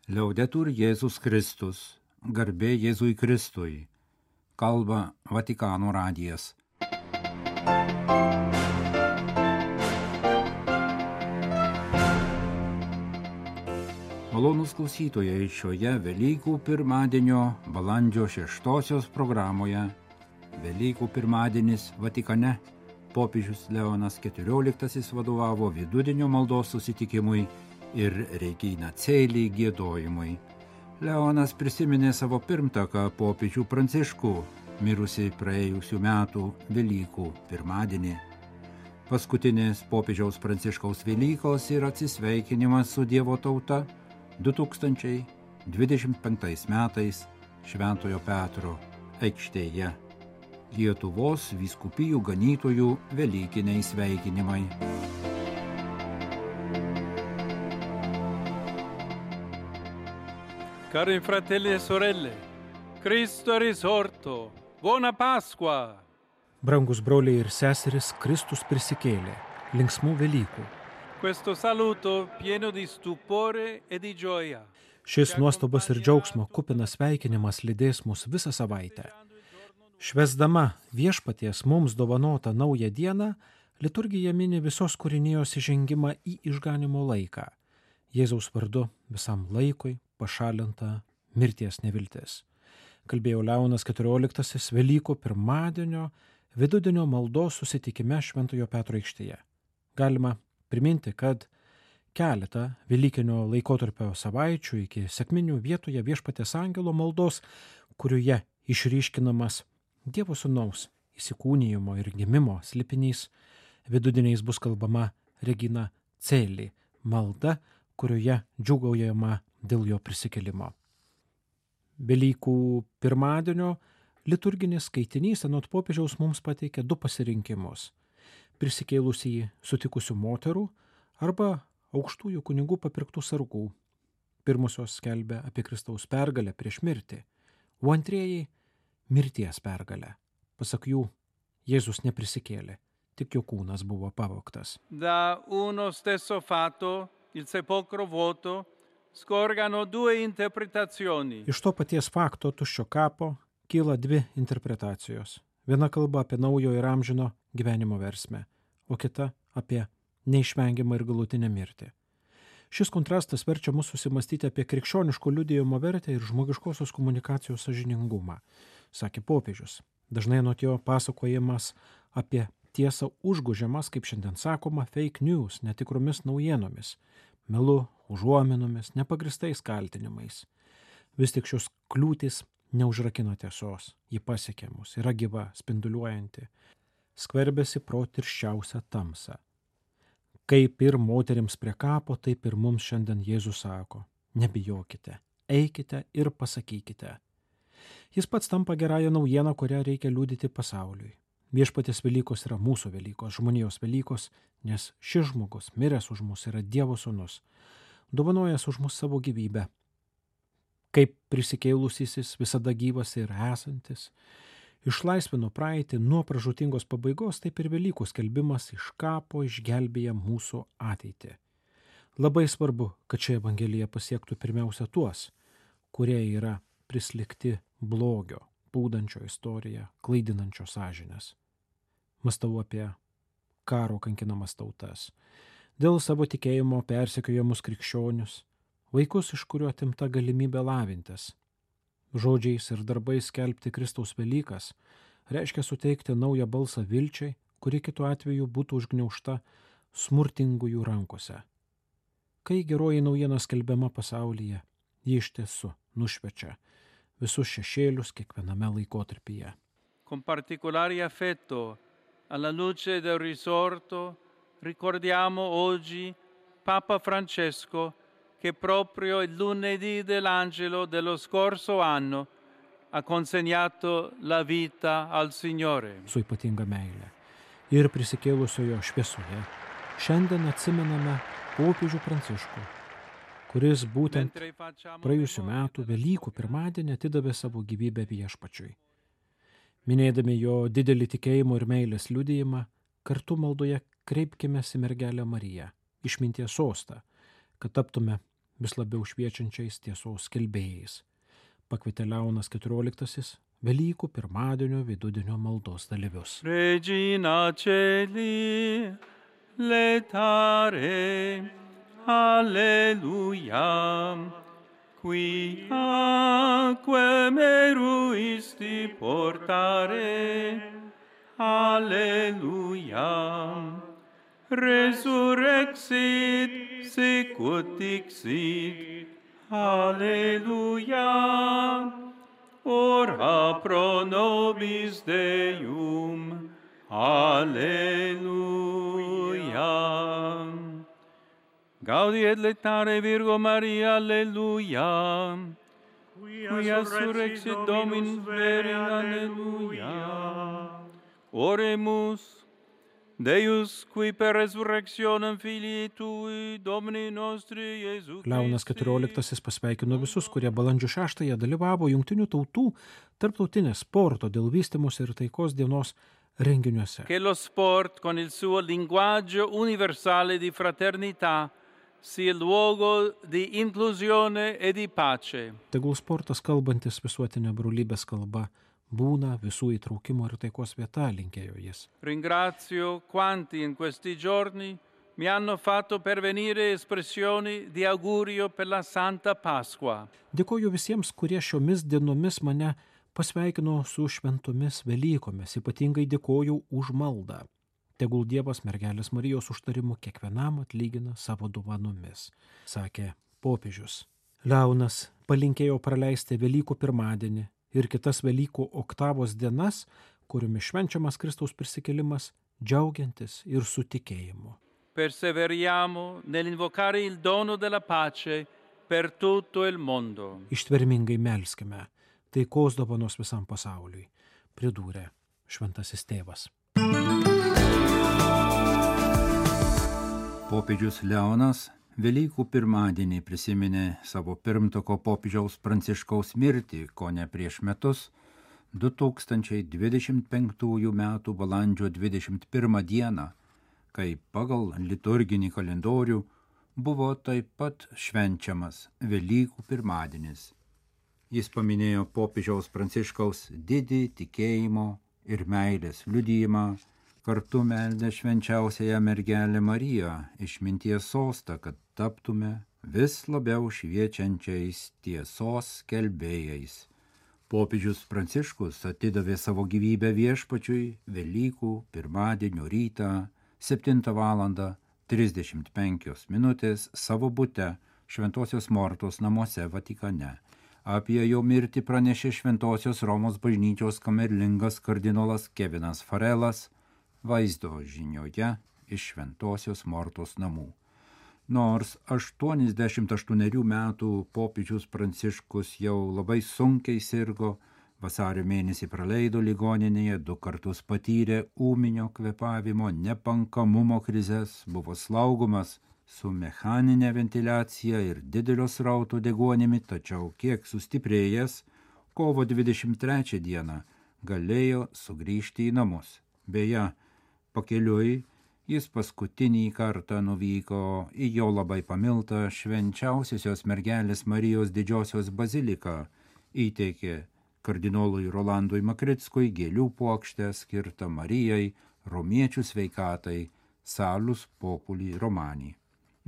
Liaudetur Jėzus Kristus, garbė Jėzui Kristui, kalba Vatikano radijas. Malonūs klausytojai, šioje Velykų pirmadienio balandžio 6 programoje Velykų pirmadienis Vatikane popiežius Leonas XIV vadovavo vidudienio maldos susitikimui ir Regina Coeli giedojimui. Leonas prisiminė savo pirmtaką popiežių Pranciškų, mirusį praėjusių metų Velykų pirmadienį. Paskutinės popiežiaus Pranciškaus Velykos ir atsisveikinimas su Dievo tauta 2025 metais Šventojo Petro aikštėje. Lietuvos vyskupijų ganytojų velykiniai sveikinimai. Cari fratelli e sorelle, Cristo è risorto, buona Pasqua! Brangus broliai ir seserys, Kristus prisikėlė, linksmų Velykų. Questo saluto pieno di stupore e di gioia. Šis nuostabos ir džiaugsmo kupinas sveikinimas lydės mus visą savaitę. Švęsdama viešpaties mums dovanotą naują dieną, liturgija mini visos kūrinijos įžengimą į išganymo laiką. Jėzaus vardu visam laikui pašalinta mirties neviltis. Kalbėjo Leonas XIV Velykų pirmadienio vidudienio maldos susitikime Šventojo Petro aikštėje. Galima priminti, kad keletą Velykinio laikotarpio savaičių iki sekminių vietoje viešpaties angelo maldos, kurioje išryškinamas Dievo Sūnaus įsikūnijimo ir gimimo slėpinys, vidudiniais bus kalbama Regina Coeli malda, kurioje džiūgaujama dėl jo prisikėlimo. Velykų pirmadienio liturginis skaitinys anot popiežiaus mums pateikia du pasirinkimus – prisikėlusį sutikusių moterų arba aukštųjų kunigų papirktų sargų. Pirmosios skelbia apie Kristaus pergalę prieš mirtį, o antrieji – mirties pergalę. Pasak jų, Jėzus neprisikėlė, tik jo kūnas buvo pavogtas. Da uno stesso fatto, il sepolcro vuoto, scorgano due interpretazioni. Iš to paties fakto tuščio kapo kyla dvi interpretacijos. Viena kalba apie naujo ir amžino gyvenimo versmę, o kita apie neišvengiamą ir galutinę mirtį. Šis kontrastas verčia mus susimastyti apie krikščioniško liudijimo vertę ir žmogiškosios komunikacijos sąžiningumą, sakė popiežius. Dažnai anot jo pasakojimas apie tiesą užgožiamas, kaip šiandien sakoma, fake news, netikromis naujienomis, melu, užuominomis, nepagristais kaltinimais. Vis tik šios kliūtys neužrakino tiesos, ji pasiekė mus, yra gyva, spinduliuojanti, skverbėsi pro tirščiausią tamsą. Kaip ir moterims prie kapo, taip ir mums šiandien Jėzus sako, nebijokite, eikite ir pasakykite. Jis pats tampa gerąją naujieną, kurią reikia liudyti pasauliui. Viešpaties Velykos yra mūsų Velykos, žmonijos Velykos, nes šis žmogus, miręs už mus, yra Dievo Sūnus, dovanojęs už mus savo gyvybę. Kaip prisikėlusysis, visada gyvas ir esantis, išlaisvino praeitį nuo pražūtingos pabaigos, taip ir Velykų skelbimas iš kapo išgelbėja mūsų ateitį. Labai svarbu, kad ši evangelija pasiektų pirmiausia tuos, kurie yra prislikti blogio, pūdančio istoriją, klaidinančio sąžinės. Mąstau apie karo kankinamas tautas, dėl savo tikėjimo persekiojamus krikščionius, vaikus, iš kurių atimta galimybė lavintis. Žodžiais ir darbais skelbti Kristaus Velykas reiškia suteikti naują balsą vilčiai, kuri kitu atveju būtų užgniaužta smurtingųjų rankose. Kai geroji naujiena skelbiama pasaulyje, ji iš tiesų nušviečia visus šešėlius kiekviename laikotarpyje. Con particolare affetto alla luce del risorto ricordiamo oggi Papa Francesco che proprio il lunedì dell'Angelo dello scorso anno ha consegnato la vita al Signore. Su ypatinga meilė ir prisikėlusiojo šviesoje šiandien atsimename popiežių Pranciškų, kuris būtent praėjusių metų Velykų pirmadienį atidavė savo gyvybę viešpačiui. Minėdami jo didelį tikėjimo ir meilės liudijimą, kartu maldoje kreipkimės į mergelę Mariją, išminties sostą, kad taptume vis labiau šviečiančiais tiesos skelbėjais. Pakvietė Leonas XIV Velykų pirmadienio vidudienio maldos dalyvius. Regina Celi, letare, alleluia, qui aquam eruisti portare, alleluia, resurrexit, sicut dixit, alleluia, ora pro nobis Deum, alleluia. Gaudi et letare Virgo Maria, alleluia. Quia surrexit Dominus veri, alleluia. Oremus, Deus, qui per resurrectionem Filii Tui, Domini nostri Jesu Christi. Leonas XIV pasveikino visus, kurie balandžio 6 dalyvavo Jungtinių tautų tarptautinės sporto dėl vystymosi ir taikos dienos renginiuose. Che lo sport, con il suo linguaggio universale di fraternità, sia luogo di inclusione e di pace. Tegul sportas kalbantis visuotinė brolybės kalba būna visų įtraukimo ir taikos vieta, linkėjo jis. Ringrazio quanti in questi giorni mi hanno fatto pervenire espressioni di augurio per la Santa Pasqua. Dėkoju visiems, kurie šiomis dienomis mane pasveikino su šventomis Velykomis, ypatingai dėkoju už maldą. Tegul Dievas mergelės Marijos užtarimu kiekvienam atlygina savo dovanomis, sakė popiežius. Leonas palinkėjo praleisti Velykų pirmadienį ir kitas Velykų oktavos dienas, kuriomis švenčiamas Kristaus prisikėlimas, džiaugiantis ir su tikėjimu. Perseveriamo nell'invocare il dono della pace per tutto il mondo. Ištvermingai melskime taikos dovanos visam pasauliui, pridūrė šventasis tėvas. Popiežius Leonas Velykų pirmadienį prisiminė savo pirmtako popiežiaus Pranciškaus mirtį, kone prieš metus, 2025 metų balandžio 21 dieną, kai pagal liturginį kalendorių buvo taip pat švenčiamas Velykų pirmadienis. Jis paminėjo popiežiaus Pranciškaus didį tikėjimo ir meilės liudijimą, kartu meldė švenčiausiąją mergelę Mariją išminties sostą, kad taptume vis labiau šviečiančiais tiesos skelbėjais. Popiežius Pranciškus atidavė savo gyvybę Viešpačiui Velykų pirmadienio rytą 7:35 savo bute Šventosios Mortos namuose Vatikane. Apie jo mirtį pranešė Šventosios Romos bažnyčios kamerlingas kardinolas Kevinas Farelas vaizdo žinioje iš Šventosios Mortos namų. Nors 88 metų popiežius Pranciškus jau labai sunkiai sirgo, vasario mėnesį praleido ligoninėje, 2 kartus patyrė ūminio kvėpavimo nepankamumo krizes, buvo slaugomas su mechaninė ventiliacija ir didelio srauto deguonimi, tačiau kiek sustiprėjęs, kovo 23 dieną galėjo sugrįžti į namus. Beje, pakeliui jis paskutinį kartą nuvyko į jo labai pamiltą švenčiausiosios mergelės Marijos didžiosios baziliką, įteikė kardinolui Rolandui Makrickui gėlių puokštę skirtą Marijai, romiečių sveikatai, Salus Populi Romani.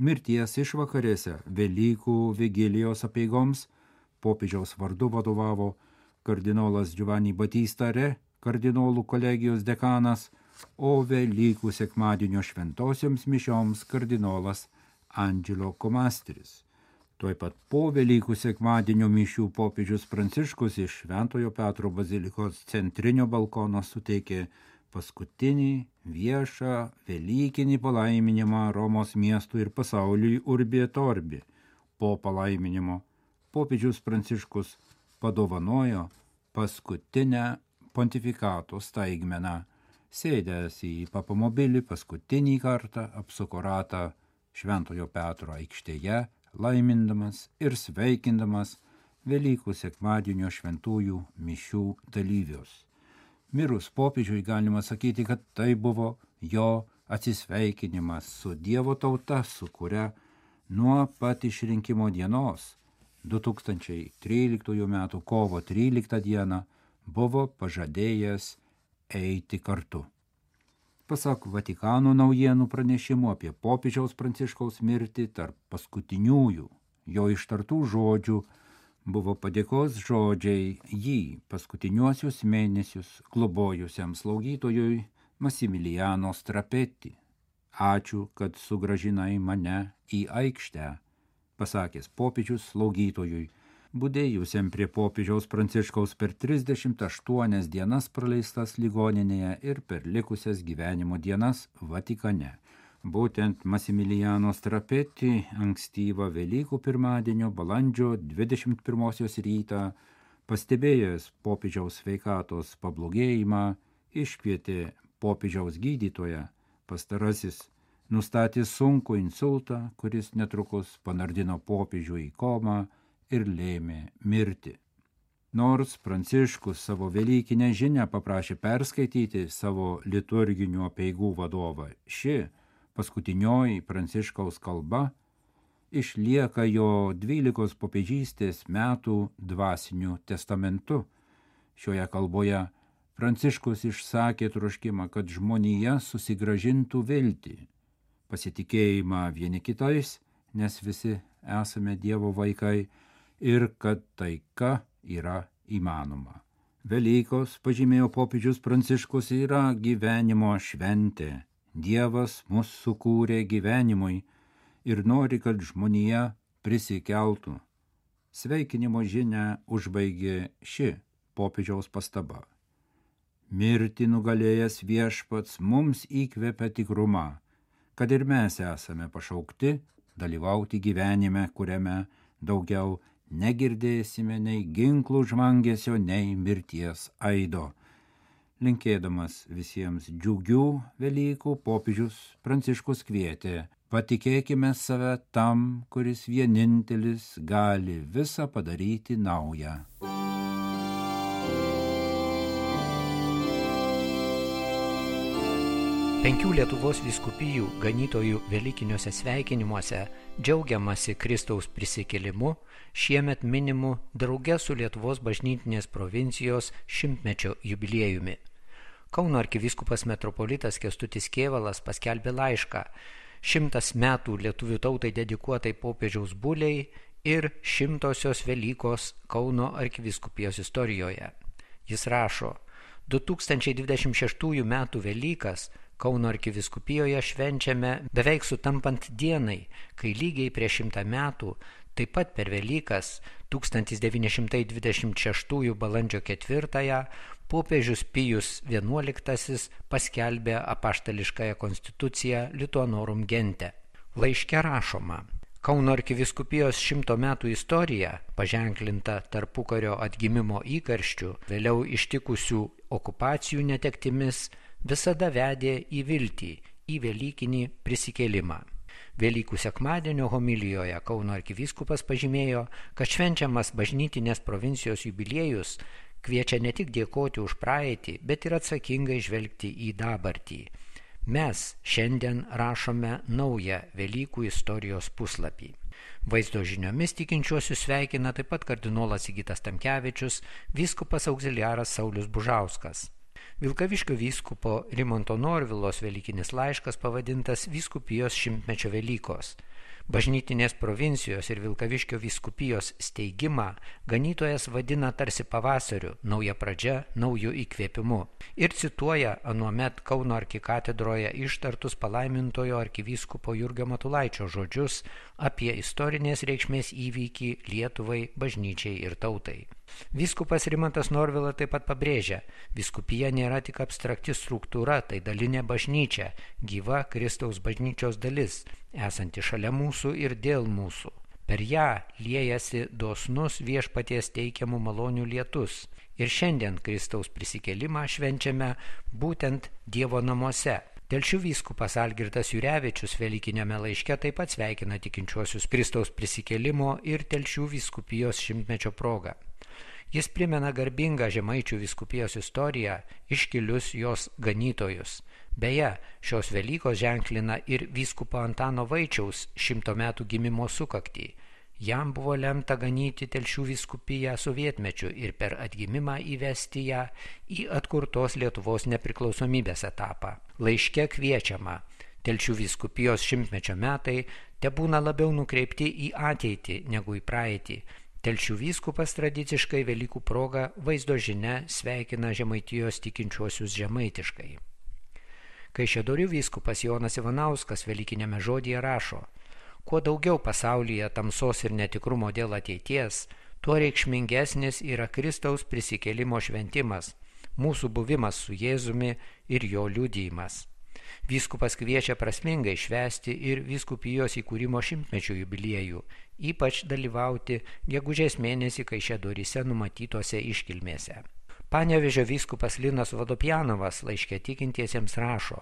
Mirties išvakarėse Velykų vigilijos apeigoms popiežiaus vardu vadovavo kardinolas Giovanni Battista Re, kardinolų kolegijos dekanas, o Velykų sekmadienio šventosioms mišioms kardinolas Angelo Komastris. Tuoj pat po Velykų sekmadienio mišių popiežius Pranciškus iš Šventojo Petro bazilikos centrinio balkono suteikė paskutinį viešą velykinį palaiminimą Romos miestui ir pasauliui Urbi et Orbi. Po palaiminimo popiežius Pranciškus padovanojo paskutinę pontifikato staigmeną. Sėdęs į papamobilį paskutinį kartą apsuko ratą Šventojo Petro aikštėje, laimindamas ir sveikindamas Velykų sekmadienio šventųjų mišių dalyvius. Mirus popiežiui galima sakyti, kad tai buvo jo atsisveikinimas su Dievo tauta, su kuria nuo pat išrinkimo dienos 2013 m. kovo 13 d. buvo pažadėjęs eiti kartu. Pasak Vatikano naujienų pranešimų apie popiežiaus Pranciškaus mirtį, tarp paskutiniųjų jo ištartų žodžių buvo padėkos žodžiai jį paskutiniuosius mėnesius globojusiam slaugytojui Massimiliano Strapetti. Ačiū, kad sugrąžinai mane į aikštę, pasakęs popiežius slaugytojui, budėjusiam prie popiežiaus Pranciškaus per 38 dienas praleistas ligoninėje ir per likusias gyvenimo dienas Vatikane. Būtent Massimiliano Strapetti ankstyvą Velykų pirmadienio balandžio 21 rytą, pastebėjęs popiežiaus sveikatos pablogėjimą, iškvietė popiežiaus gydytoją. Pastarasis nustatė sunkų insultą, kuris netrukus panardino popiežių į komą ir lėmė mirtį. Nors Pranciškus savo velykinę žinią paprašė perskaityti savo liturginių apeigų vadovą, ši paskutinioji Pranciškaus kalba išlieka jo 12 popiežystės metų dvasiniu testamentu. Šioje kalboje Pranciškus išsakė troškimą, kad žmonija susigrąžintų viltį, pasitikėjimą vieni kitais, nes visi esame Dievo vaikai, ir kad taika yra įmanoma. Velykos, pažymėjo popiežius Pranciškus, yra gyvenimo šventė. Dievas mus sukūrė gyvenimui ir nori, kad žmonija prisikeltų. Sveikinimo žinią užbaigė ši popiežiaus pastaba. Mirtį nugalėjęs Viešpats mums įkvepia tikrumą, kad ir mes esame pašaukti dalyvauti gyvenime, kuriame daugiau negirdėsime nei ginklų žvangesio, nei mirties aido. Linkėdamas visiems džiugių Velykų, popiežius Pranciškus kvietė: patikėkime save tam, kuris vienintelis gali visą padaryti naują. Penkių Lietuvos vyskupijų ganytojų velykiniuose sveikinimuose džiaugiamasi Kristaus prisikėlimu, šiemet minimu drauge su Lietuvos bažnytinės provincijos 100-mečio jubiliejumi. Kauno arkivyskupas metropolitas Kęstutis Kėvalas paskelbė laišką 100 metų lietuvių tautai dedikuotai popiežiaus buliai ir 100-osios Velykos Kauno arkivyskupijos istorijoje. Jis rašo: 2026 metų Velykas Kauno arkivyskupijoje švenčiame beveik sutampant dienai, kai lygiai prieš 100 metų, taip pat per Velykas 1926 balandžio 4 popiežius Pijus XI paskelbė apaštališkąją konstituciją Lituanorum Gente. Laiške rašoma: Kauno arkivyskupijos 100 metų istorija, paženklinta tarpukario atgimimo įkarščių, vėliau ištikusių okupacijų netektimis, visada vedė į viltį, į velykinį prisikėlimą. Velykų sekmadienio homilijoje Kauno arkivyskupas pažymėjo, kad švenčiamas bažnytinės provincijos jubiliejus kviečia ne tik dėkoti už praeitį, bet ir atsakingai žvelgti į dabartį. Mes šiandien rašome naują Velykų istorijos puslapį. Vaizdo žiniomis tikinčiuosius sveikina taip pat kardinolas Sigitas Tamkevičius, vyskupas auxiliaras Saulius Bužauskas. Vilkaviškio vyskupo Rimanto Norvilos velykinis laiškas pavadintas Vyskupijos 100-mečio Velykos. Bažnytinės provincijos ir Vilkaviškio vyskupijos steigimą ganytojas vadina tarsi pavasariu, nauja pradžia, naujų įkvėpimu. Ir cituoja anuomet Kauno arkikatedroje ištartus palaimintojo arkivyskupo Jurgio Matulaičio žodžius apie istorinės reikšmės įvykį Lietuvai, bažnyčiai ir tautai. Vyskupas Rimantas Norvila taip pat pabrėžia: vyskupija nėra tik abstrakti struktūra, tai dalinė bažnyčia, gyva Kristaus bažnyčios dalis, esanti šalia mūsų ir dėl mūsų. Per ją liejasi dosnus Viešpaties teikiamų malonių lietus. Ir šiandien Kristaus prisikėlimą švenčiame būtent Dievo namuose. Telšių vyskupas Algirdas Jurevičius velykiniame laiške taip pat sveikina tikinčiuosius Kristaus prisikėlimo ir Telšių vyskupijos 100-mečio proga. Jis primena garbingą Žemaičių vyskupijos istoriją, iškilius jos ganytojus. Beje, šios Velykos ženklina ir vyskupo Antano Vaičiaus 100 metų gimimo sukaktį. Jam buvo lemta ganyti Telšių vyskupiją sovietmečiu ir per atgimimą įvesti ją į atkurtos Lietuvos nepriklausomybės etapą. Laiške kviečiama: Telšių vyskupijos 100-mečio metai tebūna labiau nukreipti į ateitį negu į praeitį. Telšių vyskupas tradiciškai Velykų proga vaizdo žinia sveikina Žemaitijos tikinčiuosius žemaitiškai. Kaišiadorių vyskupas Jonas Ivanauskas Velykinėme žodyje rašo: kuo daugiau pasaulyje tamsos ir netikrumo dėl ateities, tuo reikšmingesnis yra Kristaus prisikėlimo šventimas, mūsų buvimas su Jėzumi ir jo liudijimas. Vyskupas kviečia prasmingai švęsti ir vyskupijos įkūrimo 100-mečio jubiliejų, ypač dalyvauti gegužės mėnesį Kaišiadoryse numatytose iškilmėse. Panevėžio vyskupas Linas Vodopjanovas laiške tikintiesiems rašo: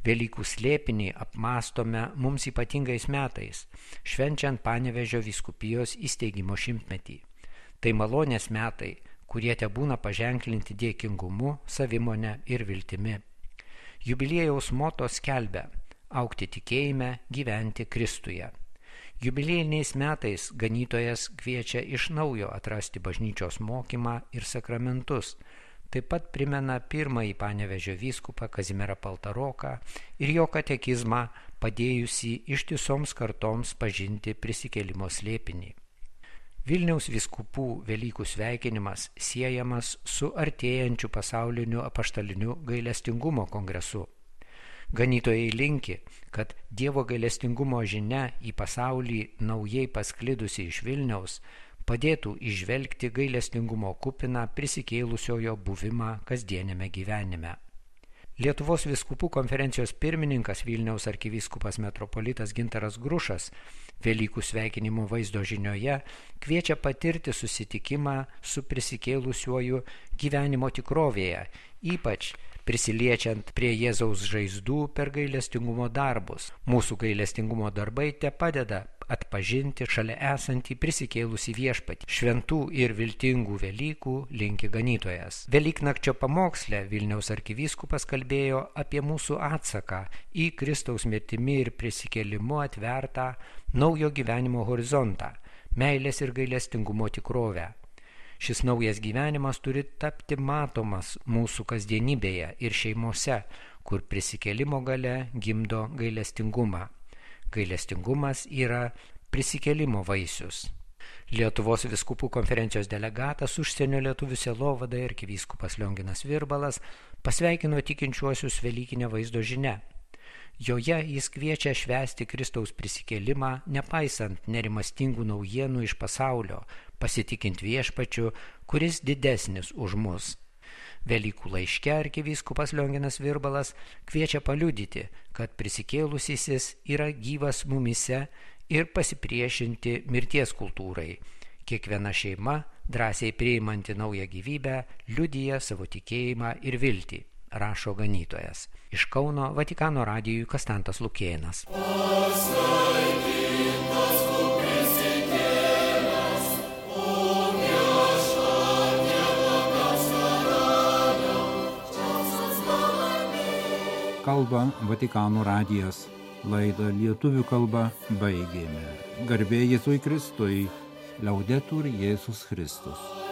Velykų slėpinį apmąstome mums ypatingais metais, švenčiant Panevėžio vyskupijos įsteigimo 100-metį. Tai malonės metai, kurie tebūna paženklinti dėkingumu, savimone ir viltimi. Jubiliejaus moto skelbia: augti tikėjime, gyventi Kristuje. Jubiliejiniais metais ganytojas kviečia iš naujo atrasti bažnyčios mokymą ir sakramentus. Taip pat primena pirmąjį Panevėžio vyskupą Kazimierą Paltaroką ir jo katekizmą, padėjusį ištisoms kartoms pažinti prisikėlimo slėpinį. Vilniaus vyskupų Velykų sveikinimas siejamas su artėjančiu pasauliniu apaštaliniu gailestingumo kongresu. Ganytojai linki, kad Dievo gailestingumo žinia į pasaulį naujai pasklidusi iš Vilniaus padėtų įžvelgti gailestingumo kupiną prisikėlusiojo buvimą kasdienėme gyvenime. Lietuvos vyskupų konferencijos pirmininkas Vilniaus arkivyskupas metropolitas Gintaras Grušas Velykų sveikinimo vaizdo žinioje kviečia patirti susitikimą su prisikėlusiuoju gyvenimo tikrovėje, ypač prisiliečiant prie Jėzaus žaizdų per gailestingumo darbus. Mūsų gailestingumo darbai te padeda atpažinti šalia esantį prisikėlusį viešpatį. Šventų ir viltingų Velykų linki ganytojas. Velyknakčio pamoksle Vilniaus arkivyskupas kalbėjo apie mūsų atsaką į Kristaus mirtimi ir prisikėlimu atvertą naujo gyvenimo horizontą, meilės ir gailestingumo tikrovę. Šis naujas gyvenimas turi tapti matomas mūsų kasdienybėje ir šeimose, kur prisikėlimo galia gimdo gailestingumą. Gailestingumas yra prisikėlimo vaisius. Lietuvos vyskupų konferencijos delegatas užsienio lietuvių sielovadai arkivyskupas Lionginas Virbalas pasveikino tikinčiuosius Velykinę vaizdo žinia. Joje jis kviečia švęsti Kristaus prisikėlimą, nepaisant nerimastingų naujienų iš pasaulio, pasitikint viešpačiu, kuris didesnis už mus. Velykų laiške arkivyskupas Lionginas Virbalas kviečia paliudyti, kad prisikėlusysis yra gyvas mumise ir pasipriešinti mirties kultūrai. Kiekviena šeima, drąsiai priimanti naują gyvybę, liudija savo tikėjimą ir viltį, rašo ganytojas. Iš Kauno Vatikano radijui Kastantas Lukėnas. Kalba Vatikano radijas. Laidą lietuvių kalba baigėme. Garbė Jėzui Kristui. Laudetur Jėzus Kristus.